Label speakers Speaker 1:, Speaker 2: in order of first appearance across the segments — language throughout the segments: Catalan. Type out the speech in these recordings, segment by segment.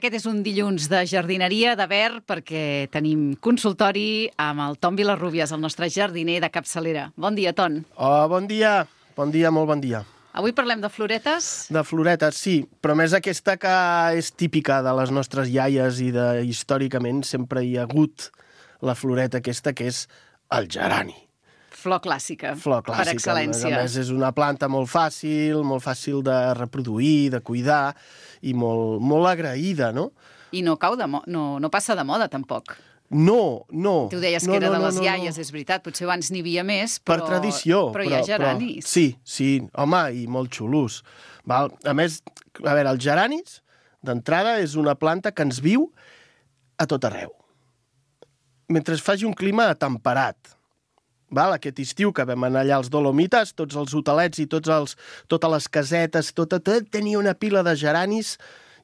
Speaker 1: Aquest és un dilluns de jardineria, de verd, perquè tenim consultori amb el Ton Vilarrubias, el nostre jardiner de capçalera. Bon dia, Ton.
Speaker 2: Oh, bon dia, molt bon dia.
Speaker 1: Avui parlem de floretes.
Speaker 2: De floretes, sí, però més aquesta que és típica de les nostres iaies i històricament sempre hi ha hagut la floreta aquesta, que és el gerani.
Speaker 1: Flor clàssica,
Speaker 2: Flor clàssica,
Speaker 1: per excel·lència.
Speaker 2: A més és una planta molt fàcil de reproduir, de cuidar i molt agraïda, no?
Speaker 1: I no passa de moda, tampoc.
Speaker 2: No.
Speaker 1: Tu deies que era de les iaies, és veritat, potser abans n'hi havia més, però...
Speaker 2: Per tradició.
Speaker 1: Però hi ha geranis.
Speaker 2: Sí, home, i molt xulos. Val? A més, a veure, els geranis, d'entrada, és una planta que ens viu a tot arreu. Mentre faci un clima temperat. Val? Aquest estiu que vam anar allà als Dolomites, tots els hotelets i totes les casetes, tot tenia una pila de geranis,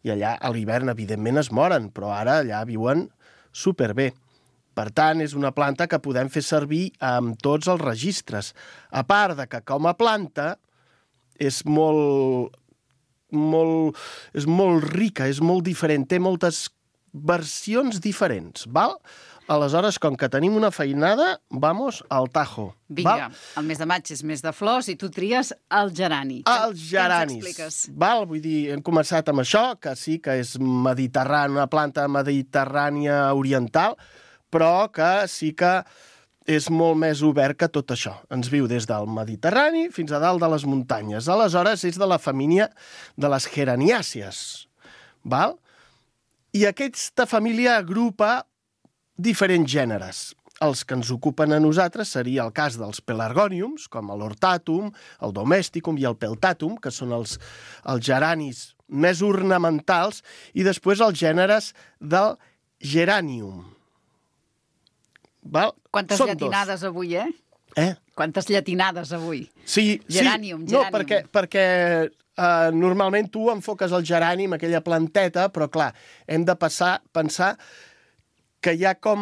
Speaker 2: i allà a l'hivern, evidentment, es moren, però ara allà viuen superbé. Per tant, és una planta que podem fer servir amb tots els registres. A part de que, com a planta, és molt rica, és molt diferent, té moltes versions diferents, val? Aleshores, com que tenim una feinada, vamos al tajo.
Speaker 1: Vinga, el mes de maig és mes de flors i tu tries el gerani.
Speaker 2: Els geranis.
Speaker 1: Què ens expliques?
Speaker 2: Val? Vull dir, hem començat amb això, que sí que és mediterrània, una planta mediterrània oriental, però que sí que és molt més obert que tot això. Ens viu des del Mediterrani fins a dalt de les muntanyes. Aleshores, és de la família de les geraniàcies. Val? I aquesta família agrupa diferents gèneres. Els que ens ocupen a nosaltres seria el cas dels pelargòniums, com l'hortatum, el domesticum i el peltatum, que són els geranis més ornamentals, i després els gèneres del geranium. Val?
Speaker 1: Quantes llatinades avui, Quantes llatinades avui.
Speaker 2: Sí.
Speaker 1: Geranium.
Speaker 2: No, perquè normalment tu enfoques el gerani amb aquella planteta, però clar, hem de pensar que hi ha com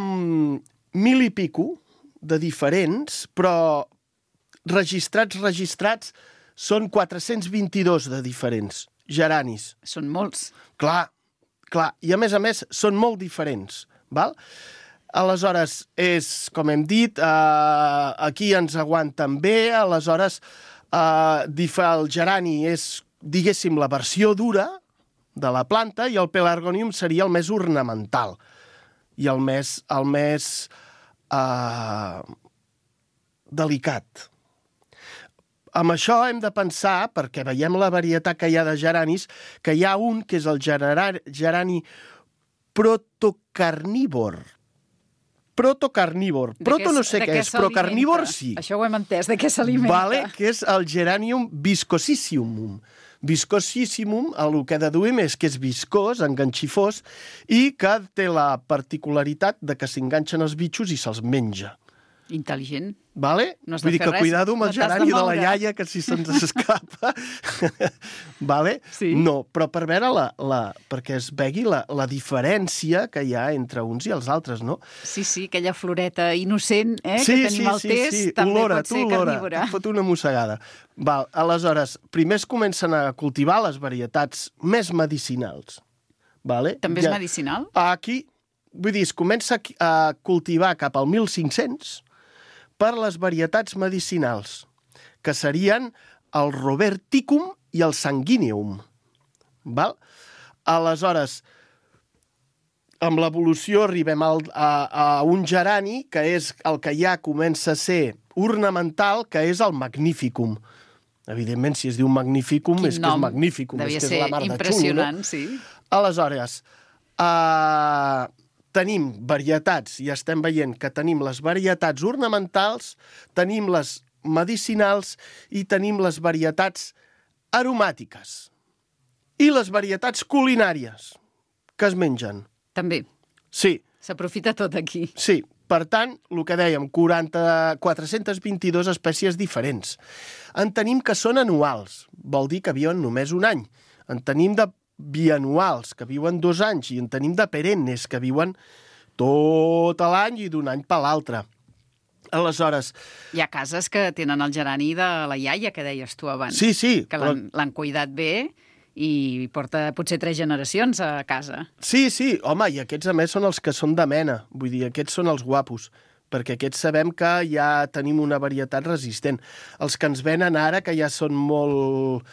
Speaker 2: 1000 i pico de diferents, però registrats són 422 de diferents geranis.
Speaker 1: Són molts.
Speaker 2: Clar. I a més són molt diferents, val? Aleshores, com hem dit, aquí ens aguanten bé, aleshores el gerani és, diguéssim, la versió dura de la planta i el pelargònium seria el més ornamental i el més delicat. Amb això hem de pensar, perquè veiem la varietat que hi ha de geranis, que hi ha un que és el gerani protocarnívor. Proto no sé què és, però carnívor sí.
Speaker 1: Això ho hem entès, de què s'alimenta.
Speaker 2: Vale, que és el geranium viscosissimum. Viscosissimum, el que deduïm és que és viscós, enganxifós, i que té la particularitat de que s'enganxen els bitxos i se'ls menja.
Speaker 1: Intel·ligent.
Speaker 2: Vale?
Speaker 1: No has de
Speaker 2: Vull dir
Speaker 1: fer
Speaker 2: que
Speaker 1: res,
Speaker 2: cuidado amb el
Speaker 1: no t'has de
Speaker 2: gerani de la
Speaker 1: moure.
Speaker 2: iaia, que si se'ns escapa. Vale?
Speaker 1: Sí.
Speaker 2: No, però per veure perquè es vegi la diferència que hi ha entre uns i els altres, no?
Speaker 1: Sí, aquella floreta innocent que tenim al test, també
Speaker 2: olora,
Speaker 1: pot ser carnívora.
Speaker 2: Et fot una mossegada. Val, aleshores, primer es comencen a cultivar les varietats més medicinals. Vale?
Speaker 1: També és medicinal?
Speaker 2: Aquí, vull dir, es comença a cultivar cap al 1500 per les varietats medicinals, que serien el roberticum i el sanguineum. Val? Aleshores, amb l'evolució arribem a un gerani, que és el que ja comença a ser ornamental, que és el magnificum. Evidentment, si es diu magnificum, és que és magnificum.
Speaker 1: Devia
Speaker 2: és que
Speaker 1: ser
Speaker 2: és la mar de
Speaker 1: impressionant,
Speaker 2: xulo, no?
Speaker 1: sí.
Speaker 2: Aleshores, tenim varietats, i estem veient que tenim les varietats ornamentals, tenim les medicinals i tenim les varietats aromàtiques. I les varietats culinàries, que es mengen.
Speaker 1: També.
Speaker 2: Sí.
Speaker 1: S'aprofita tot aquí.
Speaker 2: Sí. Per tant, el que dèiem, 422 espècies diferents. En tenim que són anuals, vol dir que viuen només un any. En tenim de bianuals, que viuen 2 anys, i en tenim de perennes, que viuen tot l'any i d'un any per l'altre. Aleshores...
Speaker 1: Hi ha cases que tenen el gerani de la iaia, que deies tu abans.
Speaker 2: Sí,
Speaker 1: que l'han cuidat bé i porta potser 3 generacions a casa.
Speaker 2: Sí, home, i aquests a més són els que són de mena, vull dir, aquests són els guapos, perquè aquests sabem que ja tenim una varietat resistent. Els que ens venen ara, que ja són molt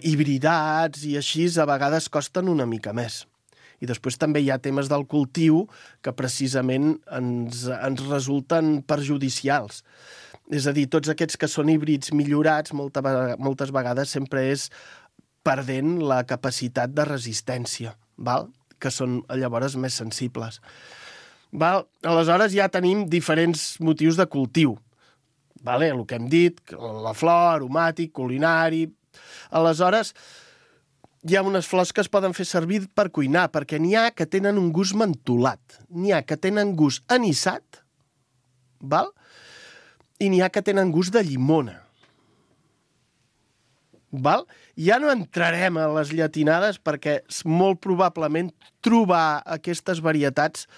Speaker 2: hibridats i així, a vegades costen una mica més. I després també hi ha temes del cultiu que precisament ens resulten perjudicials. És a dir, tots aquests que són híbrids millorats, moltes vegades sempre és perdent la capacitat de resistència, val? Que són llavors més sensibles. Val? Aleshores ja tenim diferents motius de cultiu. Vale? El que hem dit, la flor, aromàtic, culinari... Aleshores, hi ha unes flors que es poden fer servir per cuinar, perquè n'hi ha que tenen un gust mentolat, n'hi ha que tenen gust anisat, val? I n'hi ha que tenen gust de llimona. Val? Ja no entrarem a les llatinades perquè molt probablement trobar aquestes varietats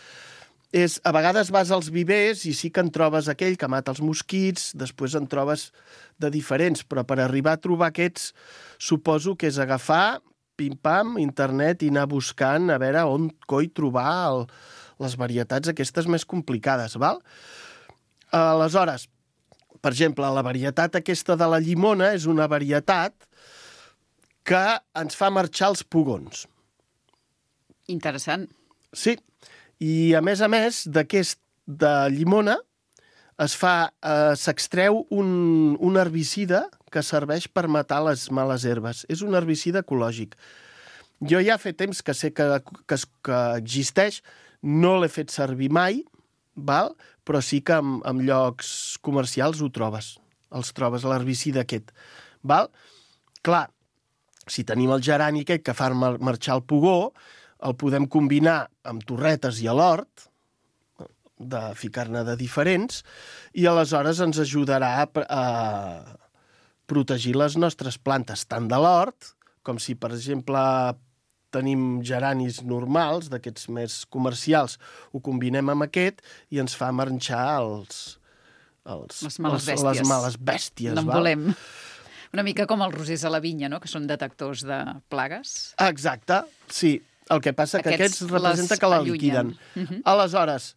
Speaker 2: és, a vegades vas als vivers i sí que en trobes aquell que mata els mosquits, després en trobes de diferents, però per arribar a trobar aquests suposo que és agafar, pim-pam, internet i anar buscant a veure on coi trobar les varietats aquestes més complicades, val? Aleshores, per exemple, la varietat aquesta de la llimona és una varietat que ens fa marxar els pugons.
Speaker 1: Interessant.
Speaker 2: Sí, i a més, de llimona s'extreu un herbicida que serveix per matar les males herbes. És un herbicida ecològic. Jo ja fa temps que sé que existeix, no l'he fet servir mai, val? Però sí que en llocs comercials ho trobes. Els trobes, l'herbicida aquest. Val? Clar, si tenim el gerani aquest que fa marxar el pugó, el podem combinar amb torretes i a l'hort, de ficar-ne de diferents, i aleshores ens ajudarà a protegir les nostres plantes, tant de l'hort, com si, per exemple, tenim geranis normals, d'aquests més comercials, ho combinem amb aquest i ens fa marxar
Speaker 1: les males bèsties. No en volem. Una mica com els rosers a la vinya, no? Que són detectors de plagues.
Speaker 2: Exacte, sí. El que passa que aquests representa que la liquiden. Aleshores,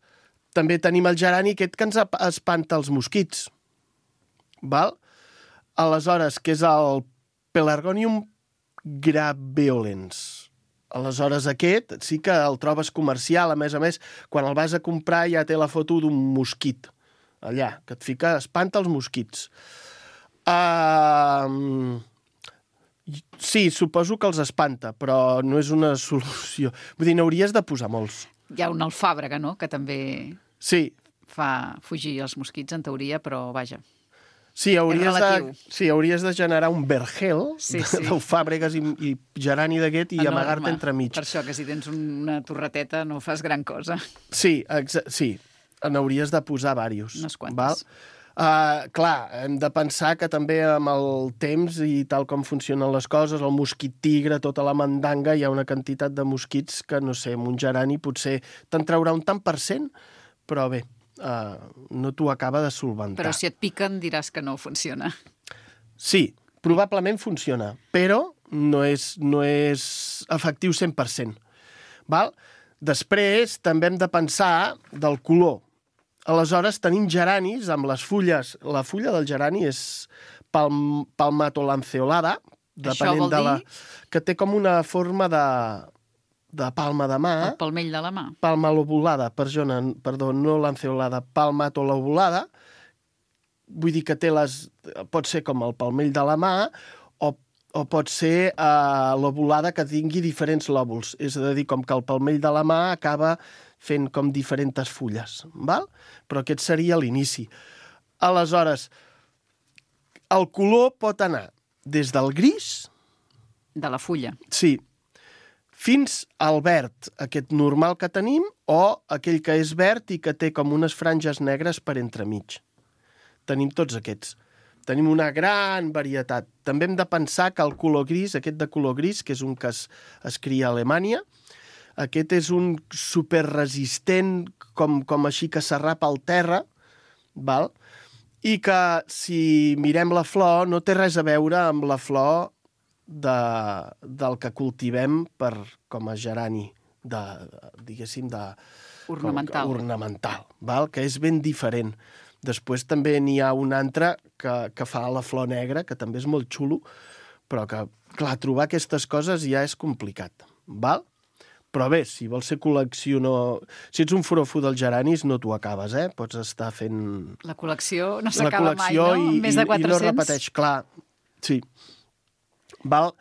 Speaker 2: també tenim el gerani aquest que ens espanta els mosquits. Val? Aleshores, que és el Pelargonium graveolens. Aleshores, aquest sí que el trobes comercial. A més, quan el vas a comprar ja té la foto d'un mosquit. Allà, que et fica, espanta els mosquits. Sí, suposo que els espanta, però no és una solució. Vull dir, n'hauries de posar molts.
Speaker 1: Hi ha una alfàbrega, no?, que també fa fugir els mosquits, en teoria, però vaja.
Speaker 2: Sí, hauries de generar un vergel d'alfàbregues i gerani d'aquest i amagar-te entremig.
Speaker 1: Per això, que si tens una torreteta no fas gran cosa.
Speaker 2: Sí, n'hauries de posar diversos.
Speaker 1: Unes quantes.
Speaker 2: Clar, hem de pensar que també amb el temps i tal com funcionen les coses, el mosquit tigre, tota la mandanga, hi ha una quantitat de mosquits que, no sé, amb un gerani potser te'n traurà un tant per cent, però bé, no t'ho acaba de solventar.
Speaker 1: Però si et piquen diràs que no funciona.
Speaker 2: Sí, probablement funciona, però no és efectiu 100%. Val? Després també hem de pensar del color. Aleshores tenim geranis amb les fulles. La fulla del gerani és palmatolanceolada, depenent de la... que té com una forma de palma de mà.
Speaker 1: El palmell de la mà.
Speaker 2: Palmalobulada, perdó, no lanceolada, palmatolobulada. Vull dir que pot ser com el palmell de la mà o pot ser lobulada que tingui diferents lòbuls. És a dir, com que el palmell de la mà acaba fent com diferents fulles, val? Però aquest seria l'inici. Aleshores, el color pot anar des del gris...
Speaker 1: De la fulla.
Speaker 2: Sí. Fins al verd, aquest normal que tenim, o aquell que és verd i que té com unes franges negres per entremig. Tenim tots aquests. Tenim una gran varietat. També hem de pensar que el color gris, aquest de color gris, que és un que es cria a Alemanya, aquest és un superresistent, com així que s'arrapa al terra, val? I que si mirem la flor no té res a veure amb la flor del que cultivem com a gerani ornamental, val? Que és ben diferent. Després també n'hi ha un altre que fa la flor negra, que també és molt xulo, però que, clar, trobar aquestes coses ja és complicat, val? Però bé, si vols ser col·leccionador... Si ets un forofo dels geranis, no t'ho acabes, eh? Pots estar fent...
Speaker 1: La col·lecció no s'acaba mai, no? Més de 400?
Speaker 2: I no repeteix, clar. Sí. Val?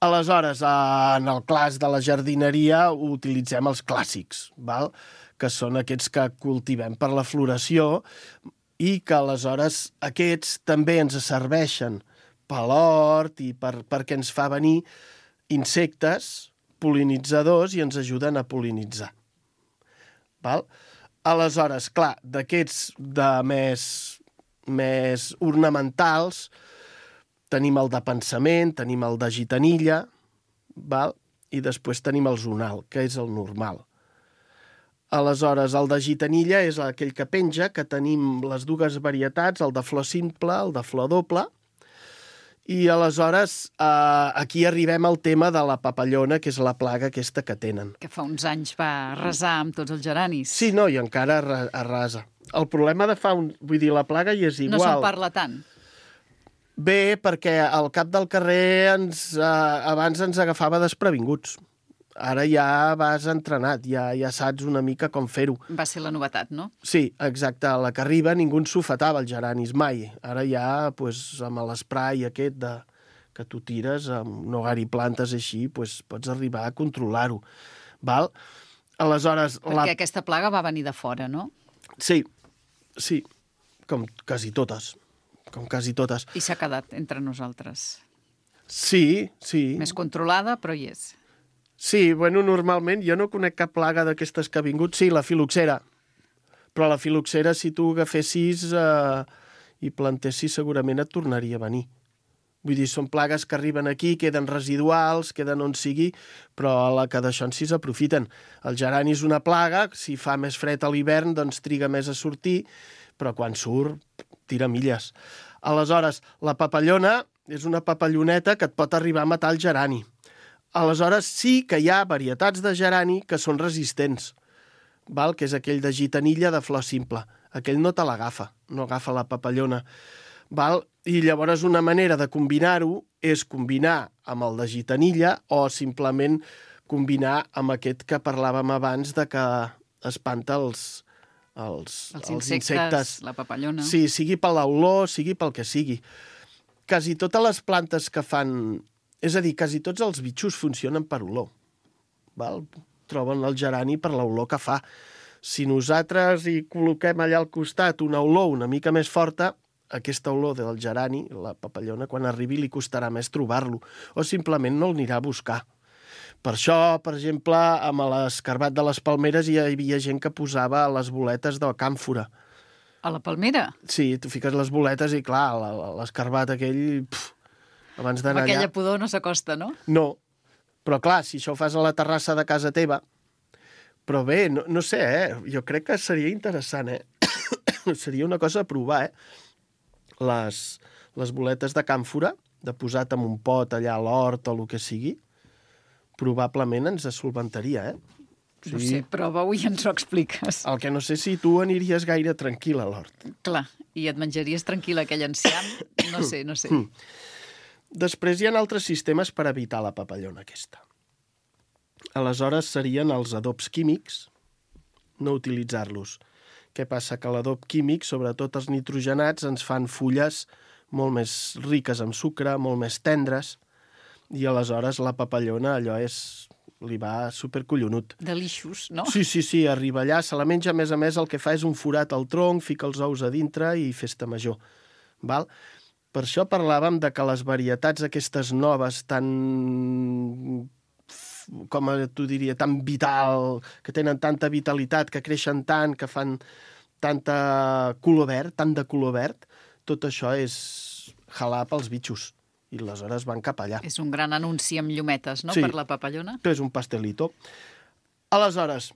Speaker 2: Aleshores, en el class de la jardineria utilitzem els clàssics, val? Que són aquests que cultivem per la floració i que aleshores aquests també ens serveixen per l'hort i perquè ens fa venir insectes pol·linitzadors i ens ajuden a pol·linitzar. Val? Aleshores, clar, d'aquests de més ornamentals tenim el de pensament, tenim el de gitanilla, val? I després tenim el zonal, que és el normal. Aleshores, el de gitanilla és aquell que penja, que tenim les dues varietats, el de flor simple, el de flor doble, i aleshores aquí arribem al tema de la papallona, que és la plaga aquesta que tenen.
Speaker 1: Que fa uns anys va arrasar amb tots els geranis.
Speaker 2: Sí, no, i encara arrasa. El problema de vull dir, la plaga hi és igual.
Speaker 1: No se'n parla tant.
Speaker 2: Bé, perquè al cap del carrer abans ens agafava desprevinguts. Ara ja vas entrenat, ja saps una mica com fer-ho.
Speaker 1: Va ser la novetat, no?
Speaker 2: Sí, exacte. A la que arriba ningú ens sofetava els geranis, mai. Ara ja, amb l'esprai aquest que tu tires, amb Nogar i plantes així, pots arribar a controlar-ho. Val? Aleshores...
Speaker 1: Perquè aquesta plaga va venir de fora, no?
Speaker 2: Sí, com quasi totes.
Speaker 1: I s'ha quedat entre nosaltres.
Speaker 2: Sí.
Speaker 1: Més controlada, però hi és.
Speaker 2: Sí, normalment jo no conec cap plaga d'aquestes que ha vingut. Sí, la filoxera. Però la filoxera, si tu agafessis i plantessis, segurament et tornaria a venir. Vull dir, són plagues que arriben aquí, queden residuals, queden on sigui, però a la que d'això en si s'aprofiten. El gerani és una plaga, si fa més fred a l'hivern, doncs triga més a sortir, però quan surt, tira milles. Aleshores, la papallona és una papalloneta que et pot arribar a matar el gerani. Aleshores sí que hi ha varietats de gerani que són resistents, val? Que és aquell de gitanilla de flor simple. Aquell no te l'agafa, no agafa la papallona. Val? I llavors una manera de combinar-ho és combinar amb el de gitanilla o simplement combinar amb aquest que parlàvem abans de que espanta els insectes.
Speaker 1: La papallona.
Speaker 2: Sí, sigui per l'olor, sigui pel que sigui. Quasi totes les plantes que fan... És a dir, quasi tots els bitxos funcionen per olor. Val? Troben el gerani per l'olor que fa. Si nosaltres hi col·loquem allà al costat una olor una mica més forta, aquesta olor del gerani, la papallona, quan arribi li costarà més trobar-lo, o simplement no l'anirà a buscar. Per això, per exemple, amb l'escarbat de les palmeres hi havia gent que posava les boletes de càmfora.
Speaker 1: A la palmera?
Speaker 2: Sí, tu fiques les boletes i, clar, l'escarbat aquell... Abans d'anar allà...
Speaker 1: Aquella pudor no s'acosta, no?
Speaker 2: No, però clar, si això ho fas a la terrassa de casa teva... Però bé, no sé, jo crec que seria interessant, Seria una cosa a provar, Les boletes de càmfora, de posat en un pot allà a l'hort o el que sigui, probablement ens solventaria,
Speaker 1: No sé, prova-ho i ens ho expliques.
Speaker 2: El que no sé si tu aniries gaire tranquil a l'hort.
Speaker 1: Clar, i et menjaries tranquil aquell enciam? No sé.
Speaker 2: Després hi ha altres sistemes per evitar la papallona aquesta. Aleshores serien els adobs químics, no utilitzar-los. Què passa? Que l'adob químic, sobretot els nitrogenats, ens fan fulles molt més riques en sucre, molt més tendres, i aleshores la papallona allò li va supercollonut.
Speaker 1: Delixos, no?
Speaker 2: Sí, arriba allà, se la menja, a més, el que fa és un forat al tronc, fica els ous a dintre i festa major. Val? Per això parlàvem de que les varietats aquestes noves tan, com tu diria, tan vital, que tenen tanta vitalitat, que creixen tant, que fan tant de color verd, tot això és jalar pels bitxos. I aleshores van cap allà.
Speaker 1: És un gran anunci amb llumetes, no?,
Speaker 2: sí,
Speaker 1: per la papallona.
Speaker 2: És un pastelito. Aleshores,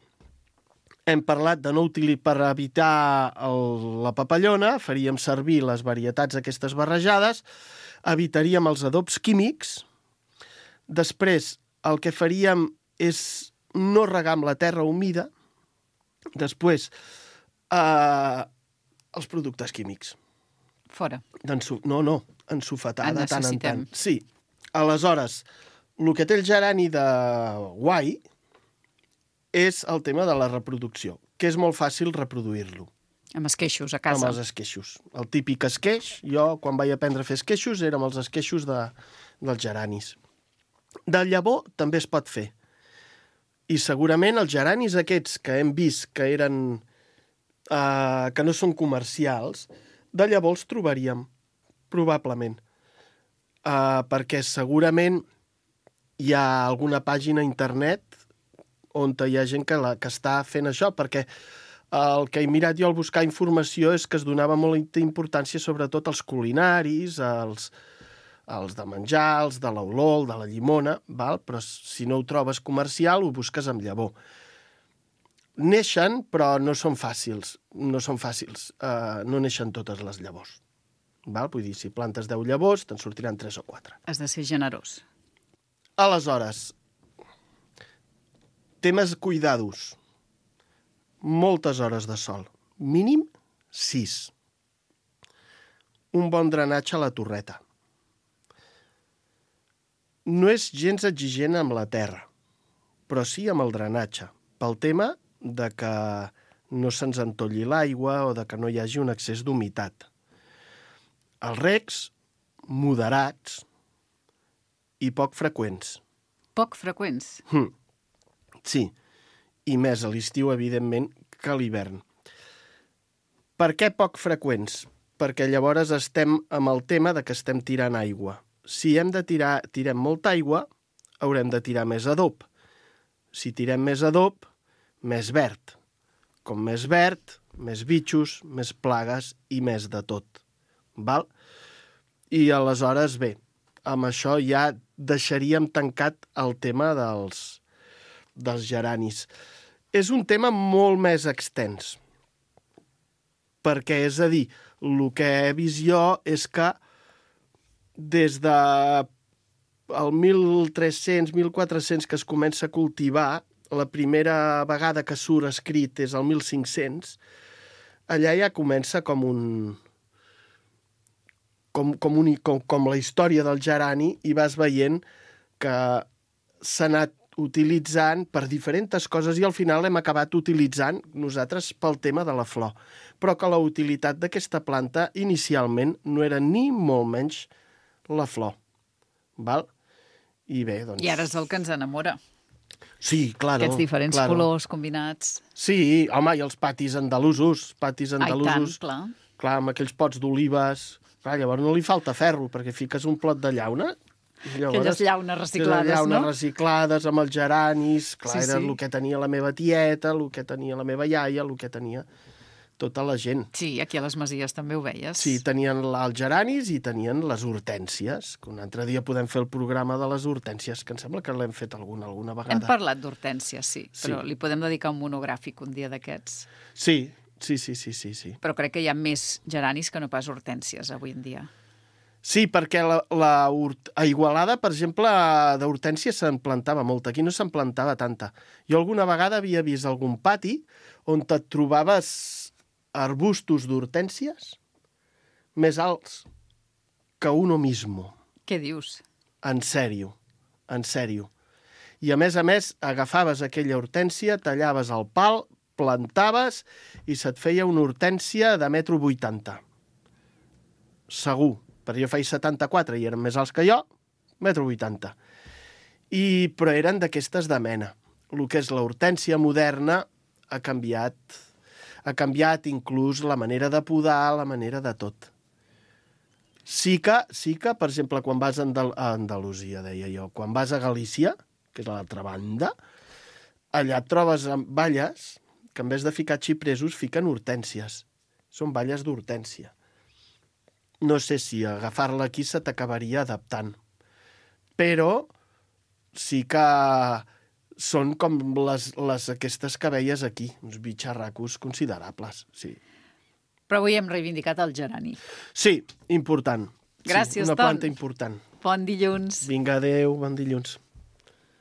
Speaker 2: hem parlat de no per evitar la papallona, faríem servir les varietats aquestes barrejades, evitaríem els adobs químics Després, el que faríem és no regar amb la terra humida. Després, els productes químics.
Speaker 1: Fora.
Speaker 2: No, ensofetar de tant en tant. Sí. Aleshores, el que té el gerani de guai és el tema de la reproducció, que és molt fàcil reproduir-lo.
Speaker 1: Amb esqueixos, a casa.
Speaker 2: Amb els esqueixos. El típic esqueix. Jo, quan vaig aprendre a fer esqueixos, érem els esqueixos dels geranis. De llavor també es pot fer. I segurament els geranis aquests que hem vist que eren que no són comercials, de llavor els trobaríem, probablement. Perquè segurament hi ha alguna pàgina a internet on hi ha gent que està fent això, perquè el que he mirat jo al buscar informació és que es donava molta importància sobretot als culinaris, als de menjar, els de l'olor, de la llimona, val? Però si no ho trobes comercial, ho busques amb llavor. Neixen, però no són fàcils. No són fàcils. No neixen totes les llavors. Val? Vull dir, si plantes 10 llavors, te'n sortiran 3 o 4.
Speaker 1: Has de ser generós.
Speaker 2: Aleshores, temes cuidados. Moltes hores de sol. Mínim 6. Un bon drenatge a la torreta. No és gens exigent amb la terra, però sí amb el drenatge, pel tema de que no se'ns entolli l'aigua o de que no hi hagi un excés d'humitat. Els regs, moderats i poc freqüents.
Speaker 1: Poc freqüents?
Speaker 2: Sí. I més a l'estiu, evidentment, que a l'hivern. Per què poc freqüents? Perquè llavors estem amb el tema de que estem tirant aigua. Si tirem molta aigua, haurem de tirar més adob. Si tirem més adob, més verd. Com més verd, més bitxos, més plagues i més de tot. Val? I aleshores, bé, amb això ja deixaríem tancat el tema dels geranis. És un tema molt més extens. Perquè, és a dir, el que he vist jo és que des de el 1300, 1400 que es comença a cultivar, la primera vegada que surt escrit és el 1500, allà ja comença com la història del gerani i vas veient que s'ha anat utilitzant per diferents coses i al final hem acabat utilitzant nosaltres pel tema de la flor. Però que la utilitat d'aquesta planta inicialment no era ni molt menys la flor. Val? I bé, doncs...
Speaker 1: I ara és el que ens enamora.
Speaker 2: Sí, claro.
Speaker 1: Aquests diferents colors combinats.
Speaker 2: Sí, home, i els patis andalusos.
Speaker 1: Ai, tant, clar.
Speaker 2: Clar, amb aquells pots d'olives. Clar, llavors no li falta ferro, perquè fiques un plot de llauna.
Speaker 1: Aquelles llaunes reciclades,
Speaker 2: llaunes reciclades amb els geranis. Clar, era el que tenia la meva tieta, el que tenia la meva iaia, el que tenia tota la gent.
Speaker 1: Sí, aquí a les Masies també ho veies.
Speaker 2: Sí, tenien els geranis i tenien les hortències, que un altre dia podem fer el programa de les hortències, que em sembla que l'hem fet alguna vegada.
Speaker 1: Hem parlat d'hortències, sí, però li podem dedicar un monogràfic un dia d'aquests.
Speaker 2: Sí.
Speaker 1: Però crec que hi ha més geranis que no pas hortències avui en dia.
Speaker 2: Sí, perquè a Igualada, per exemple, d'hortènsia se'n plantava molta. Aquí no se'n plantava tanta. Jo alguna vegada havia vist algun pati on et trobaves arbustos d'hortències més alts que uno mismo.
Speaker 1: Què dius?
Speaker 2: En sèrio. I a més, agafaves aquella hortènsia, tallaves el pal, plantaves i se't feia una hortènsia de 1,80 m. Segur. Perquè jo faig 74 i eren més alts que jo, 1,80 m. Però eren d'aquestes de mena. El que és l'hortènsia moderna ha canviat inclús la manera de podar, la manera de tot. Sí que, per exemple, quan vas a Andalusia, deia jo, quan vas a Galícia, que és a l'altra banda, allà et trobes amb valles que en vez de ficar xipresos fiquen hortències. Són valles d'hortènsia. No sé si agafar-la aquí se t'acabaria adaptant. Però sí que són com aquestes que veies aquí, uns bitxarracos considerables, sí.
Speaker 1: Però avui hem reivindicat el gerani.
Speaker 2: Sí, important.
Speaker 1: Gràcies,
Speaker 2: Una planta important.
Speaker 1: Bon dilluns.
Speaker 2: Vinga, adéu, bon dilluns.